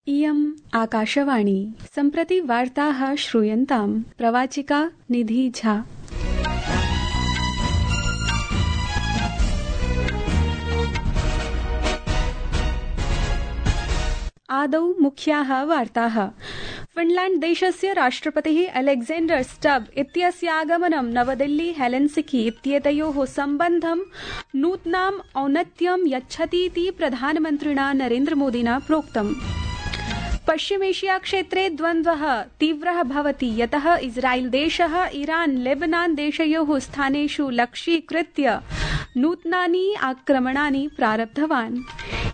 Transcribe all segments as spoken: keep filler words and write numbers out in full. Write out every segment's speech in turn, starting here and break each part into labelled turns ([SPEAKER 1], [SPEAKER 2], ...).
[SPEAKER 1] इयम् आकाशवाणी सम्प्रति वार्ताः श्रूयन्ताम् प्रवाचिका निधि झा। आदौ मुख्याः वार्ताः। फिनलैंड देशस्य राष्ट्रपतिः अलेक्जेंडर स्टब इत्यस्य आगमनं नवदिल्ली हेलेंसिकी इत्येतयोः सम्बन्धं नूतनाम् औन्नत्यं यच्छतीति प्रधानमन्त्रिणा नरेन्द्रमोदिना प्रोक्तम्। पश्चिमेशिया क्षेत्रे द्वन्द्वः तीव्रः भवति, यतः इस्राएल देशः ईरान लेबनान देशयोः स्थानेषु लक्ष्यीकृत्य नूतनानि आक्रमणानि प्रारब्धवान्।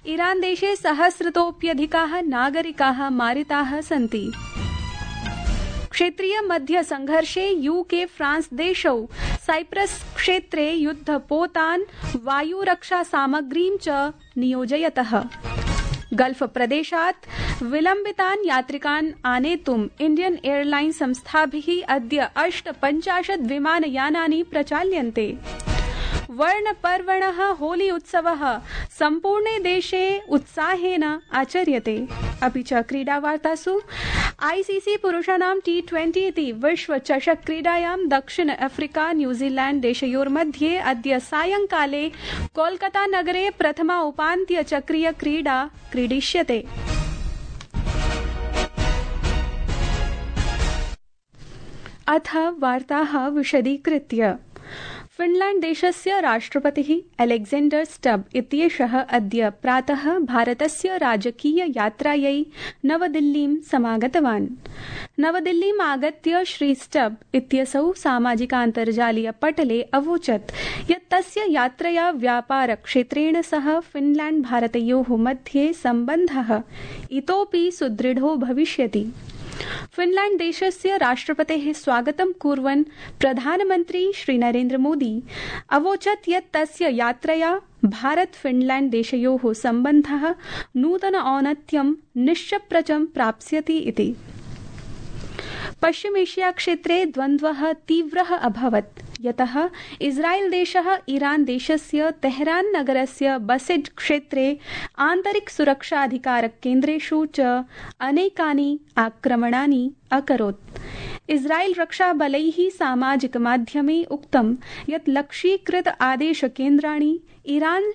[SPEAKER 1] ईरान देशे सहस्रतोऽप्यधिकाः नागरिकाः मारिताः सन्ति। क्षेत्रीय मध्य संघर्षे यूके फ्रांस देशौ साइप्रस क्षेत्रे युद्धपोतान् वायुरक्षा सामग्रीं च नियोजयतः। गल्फ प्रदेशात् विलम्बितान् यात्रिकान् आनेतुम् इंडियन एयरलाइन्स संस्थाभिः अद्य अष्टपञ्चाशत् विमानयानानि प्रचाल्यन्ते। वर्णपर्वणः होली उत्सवः सम्पूर्णे देशे उत्साहेन आचर्यते। अपि च क्रीडावार्तासु आईसीसी पुरुषाणां टी ट्वेंटी इति विश्व चषक क्रीडायां दक्षिण अफ्रीका न्यूजीलैंड देशयोर्मध्ये अद्य सायंकाले कोलकाता नगरे प्रथमा उपान्त्य चक्रीय क्रीडा क्रीडिष्यते। अथ वार्ताः विशदीकृत्य। फिनलैंड देशस्य राष्ट्रपतिः अलेक्जेंडर स्टब इत्येषः अद्य प्रातः भारतस्य राजकीय यात्रायै नवदिल्लीं समागतवान्। नवदिल्लीम् आगत्य श्री स्टब इत्यसौ सामाजिकान्तर्जालीय पटले अवोचत् यत् तस्य यात्रया व्यापार क्षेत्रेण सह फिनलैंड भारतयोः मध्ये सम्बन्धः इतोपि सुदृढो भविष्यति। फिनलैंड देशस्य राष्ट्रपतेः स्वागतं कुर्वन् प्रधानमन्त्री श्री नरेन्द्र मोदी अवोचत् यत् तस्य यात्रया भारत फिनलैंड देशयोः सम्बन्धः नूतन औन्नत्यं निश्चप्रचं प्राप्स्यति इति। पश्चिमेशिया क्षेत्रे द्वन्द्वः तीव्रः अभवत्, यतः इस्राएल देशः ईरान देशस्य तेहरान नगरस्य बसेड क्षेत्रे आन्तरिक सुरक्षाधिकारक केन्द्रेषु च अनेकानि आक्रमणानि अकरोत्। इस्राएल रक्षाबलैः सामाजिक माध्यमे उक्तं यत् लक्ष्यीकृत आदेशकेन्द्राणि ईरान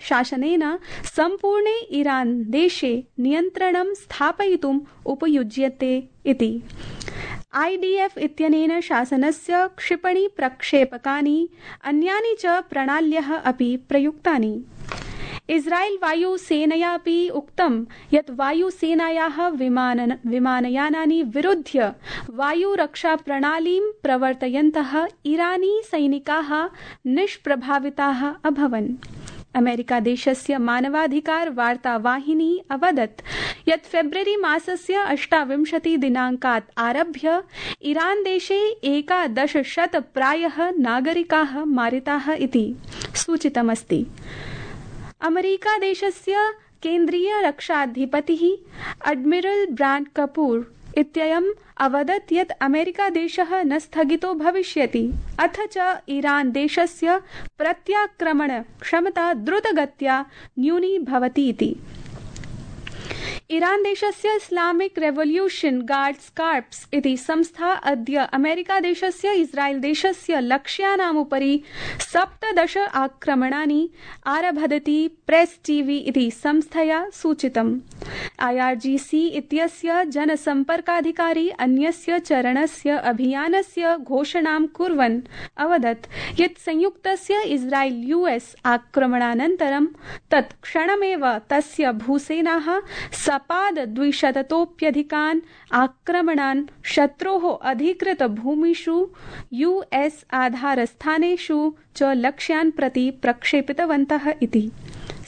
[SPEAKER 1] शासनेन सम्पूर्णे ईरान देशे नियन्त्रणं स्थापयितुम् उपयुज्यते इति। आईडीएफ इत्यनेन शासनस्य क्षिपणि प्रक्षेपकानि अन्यानि च प्रणाल्यः अपि प्रयुक्तानि। इस्राएल वायुसेनया अपि उक्तं यत् वायुसेनायाः विमान विमानयानानि विरुध्य वायुरक्षाप्रणालीं प्रवर्तयन्तः ईरानी सैनिकाः निष्प्रभाविताः अभवन्। अमेरिका देशस्य मानवाधिकार वार्तावाहिनी अवदत् यत् फेब्रुवरी मासस्य अष्टाविंशति दिनाङ्कात् आरभ्य ईरान देशे एकादशशत प्रायः नागरिकाः मारिताः इति सूचितमस्ति। अमेरिका देशस्य केन्द्रीय रक्षाधिपतिः एडमिरल ब्राड कपूर इत्ययम् अवदत् यत् अमेरिका देशः न स्थगितो भविष्यति, अथ च ईरान देशस्य प्रत्याक्रमण क्षमता द्रुतगत्या न्यूनी भवति इति। ईरान देशस्य इस्लामिक रेवोल्यूशन गार्ड्स कार्प्स इति संस्था अद्य अमेरिका देशस्य इस्राएल देशस्य लक्ष्यानामुपरि सप्तदश आक्रमणानि आरभदति प्रेस टीवी इति संस्थया सूचितम्। आईआरजीसी इत्यस्य जनसम्पर्काधिकारी अन्यस्य चरणस्य अभियानस्य घोषणां कुर्वन् अवदत् यत् संयुक्तस्य इस्राएल यूएस आक्रमणानन्तरं तत्क्षणमेव तस्य भूसेनाः सपाद द्विशततोऽप्यधिकान् आक्रमणान् शत्रोः अधिकृत भूमिषु यूएस आधारस्थानेषु च लक्ष्यान् प्रति प्रक्षेपितवन्तः इति।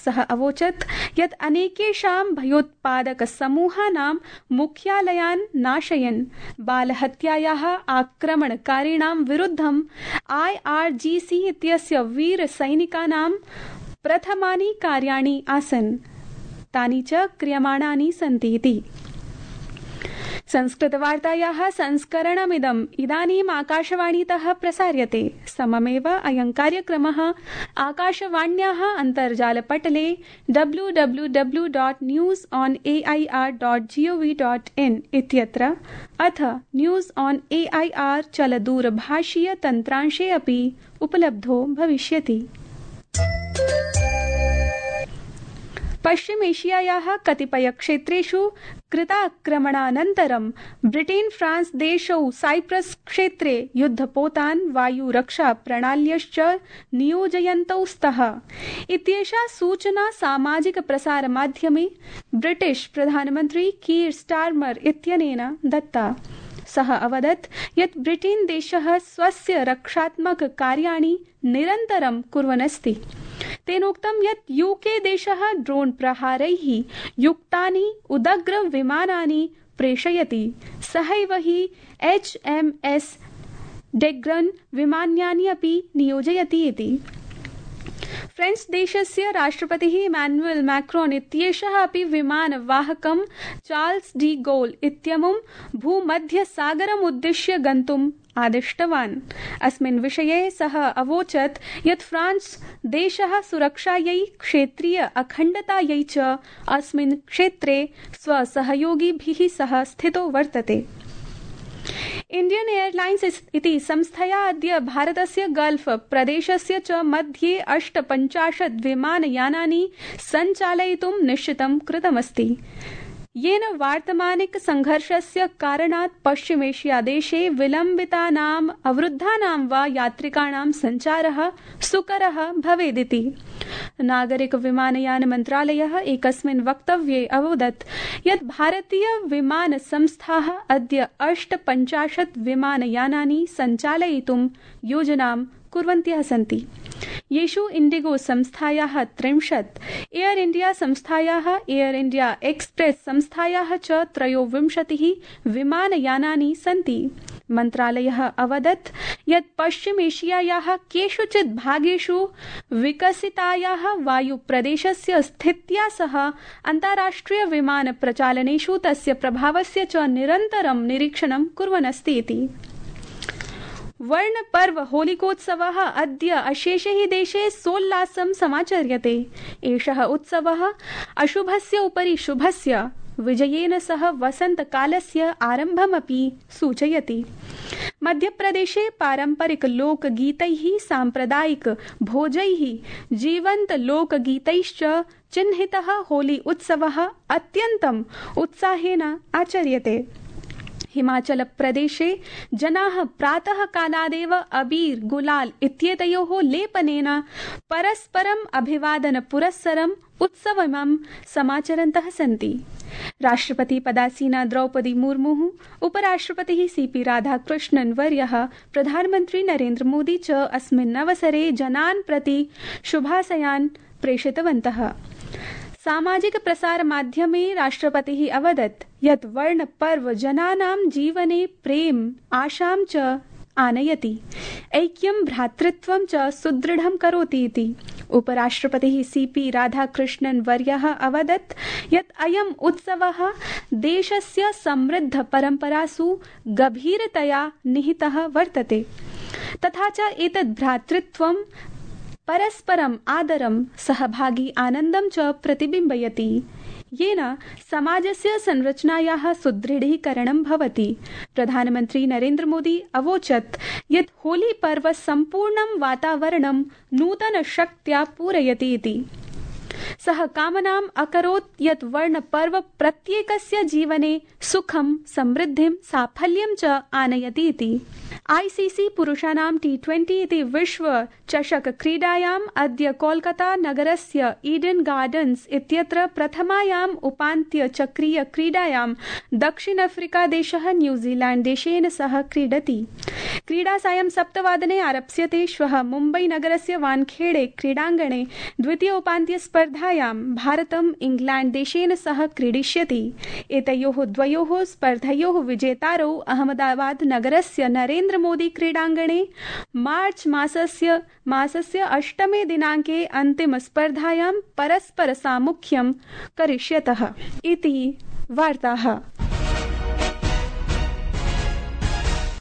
[SPEAKER 1] सः अवोचत् यत् अनेकेषां भयोत्पादक समूहानां मुख्यालयान् नाशयन् बालहत्यायाः आक्रमणकारिणां विरुद्धं आईआरजीसी इत्यस्य वीर सैनिकानां प्रथमानि कार्याणि आसन्, तानि च क्रियमाणानि सन्ति इति। संस्कृतवार्तायाः संस्करणमिदम् इदानीम् आकाशवाणीतः प्रसार्यते। सममेव अयं कार्यक्रमः आकाशवाण्याः अन्तर्जालपटले W W W dot news on A I R dot G O V dot in इत्यत्र अथ news on A I R चलदूरभाषीयतन्त्रांशे अपि उपलब्धो भविष्यति। पश्चिम एशियायाः कतिपयक्षेत्रेषु कृताक्रमणानन्तरं ब्रिटेन् फ्रांस् देशौ साइप्रस् क्षेत्रे युद्धपोतान् वायुरक्षाप्रणाल्यश्च नियोजयन्तौ स्तः इत्येषा सूचना सामाजिकप्रसारमाध्यमे ब्रिटिश् प्रधानमन्त्री कीर् स्टार्मर् इत्यनेन दत्ता। सः अवदत् यत् ब्रिटेन् देशः स्वस्य रक्षात्मककार्याणि निरन्तरं कुर्वन्नस्ति। तेनोक्तं यत् यूके देशः ड्रोन् प्रहारैः युक्तानि उदग्र विमानानि प्रेषयति। सहैव हि एच् एम् एस् डेग्रन् विमानानि अपि नियोजयति इति। फ्रेंच देशस्य राष्ट्रपतिः इमानुएल् मैक्रोन् इत्येषः अपि विमानवाहकं चार्ल्स डी गोल् इत्यमुं भूमध्यसागरमुद्दिश्य गन्तुम् आदिष्टवान्। अस्मिन् विषये सः अवोचत् यत् फ्रांस् देशः सुरक्षायै क्षेत्रीय अखण्डतायै च अस्मिन् क्षेत्रे स्वसहयोगिभिः सह स्थितो वर्तते। इण्डियन् एर्लाइन्स् इति संस्थया अद्य भारतस्य गल्फ् प्रदेशस्य च मध्ये अष्टपञ्चाशत् विमानयानानि सञ्चालयितुं निश्चितं कृतमस्ति, येन वर्तमानिक संघर्षस्य कारणात् पश्चिमेशियादेशे विलम्बितानाम् अवरुद्धानां वा यात्रिकाणां सञ्चारः सुकरः भवेदिति। नागरिक विमानयान मन्त्रालयः एकस्मिन् वक्तव्ये अवदत् यत् भारतीय विमान संस्थाः अद्य अष्टपञ्चाशत् विमानयानानि सञ्चालयितुं योजनां कुर्वन्त्यः सन्ति, येषु इण्डिगो संस्थायाः त्रिंशत्, एयर इण्डिया संस्थायाः, एयर इण्डिया एक्सप्रेस् संस्थायाः च त्रयोविंशतिः विमानयानानि सन्ति। मन्त्रालयः अवदत् यत् पश्चिमेशियायाः केषुचित् भागेषु विकसितायाः वायुप्रदेशस्य स्थित्या सह अन्ताराष्ट्रिय विमान प्रचालनेषु तस्य प्रभावस्य च निरन्तरं निरीक्षणं कुर्वन्नस्ति इति। वर्णपर्व होलिकोत्सवः अद्य अशेषे हि देशे सोल्लासं समाचर्यते। एषः उत्सवः अशुभस्य उपरि शुभस्य विजयेन सह वसन्तकालस्य आरम्भमपि सूचयति। मध्यप्रदेशे पारम्परिक लोकगीतैः, साम्प्रदायिक भोजैः, जीवन्त लोकगीतैश्च चिह्नितः होली उत्सवः अत्यन्तम् उत्साहेन आचर्यते। हिमाचल प्रदेशे जनाः प्रातः कालादेव अबीर गुलाल इत्येतयोः लेपनेन परस्परम् अभिवादन पुरस्सरम् उत्सवमं समाचरन्तः सन्ति। राष्ट्रपति पदासीना द्रौपदी मुर्मुः, उपराष्ट्रपतिः सीपी राधाकृष्णन् वर्यः, प्रधानमन्त्री नरेन्द्र मोदी च अस्मिन् अवसरे जनान् प्रति शुभाशयान् प्रेषितवन्तः। सामाजिक प्रसार माध्यमे राष्ट्रपतिः अवदत् यत् वर्णपर्व जनानां जीवने प्रेम आशां च आनयति, ऐक्यं भ्रातृत्वं च सुदृढं करोति इति। उपराष्ट्रपतिः सीपी राधाकृष्णन् वर्यः अवदत् यत् अयम् उत्सवः देशस्य समृद्ध परम्परासु गभीरतया निहितः वर्तते, तथा च एतद् भ्रातृत्वं परस्परम् आदरं, सहभागी आनन्दं च प्रतिबिम्बयति, येन समाजस्य संरचनायाः सुदृढीकरणं भवति। प्रधानमन्त्री नरेन्द्र मोदी अवोचत् यत् होली पर्व सम्पूर्णं वातावरणं नूतनशक्त्या पूरयति इति। सः कामनाम् अकरोत् यत् वर्णपर्व प्रत्येकस्य जीवने सुखं, समृद्धिं, साफल्यं च आनयति इति। आईसीसी पुरुषाणां टी ट्वेंटी इति विश्व चषक क्रीडायाम् अद्य कोलकाता नगरस्य ईडन् गार्डन्स् इत्यत्र प्रथमायाम् उपान्त्य चक्रीय क्रीडायां दक्षिण अफ्रीका देशः न्यूजीलैण्ड देशेन सह क्रीडति। क्रीडा सायं सप्तवादने आरप्स्यते। श्वः मुम्बई नगरस्य वानखेड़े क्रीडाङ्गणे द्वितीय उपान्त्य स्पर्धायां भारतम् इंग्लैण्ड देशेन सह क्रीडिष्यति। एतयोः द्वयोः स्पर्धयोः विजेतारौ अहमदाबाद नगरस्य नरेन्द्र मोदी क्रीडाङ्गणे मार्च मासस्य मासस्य अष्टमे दिनाङ्के अन्तिम स्पर्धायां परस्पर सामुख्यं करिष्यतः इति वार्ताः।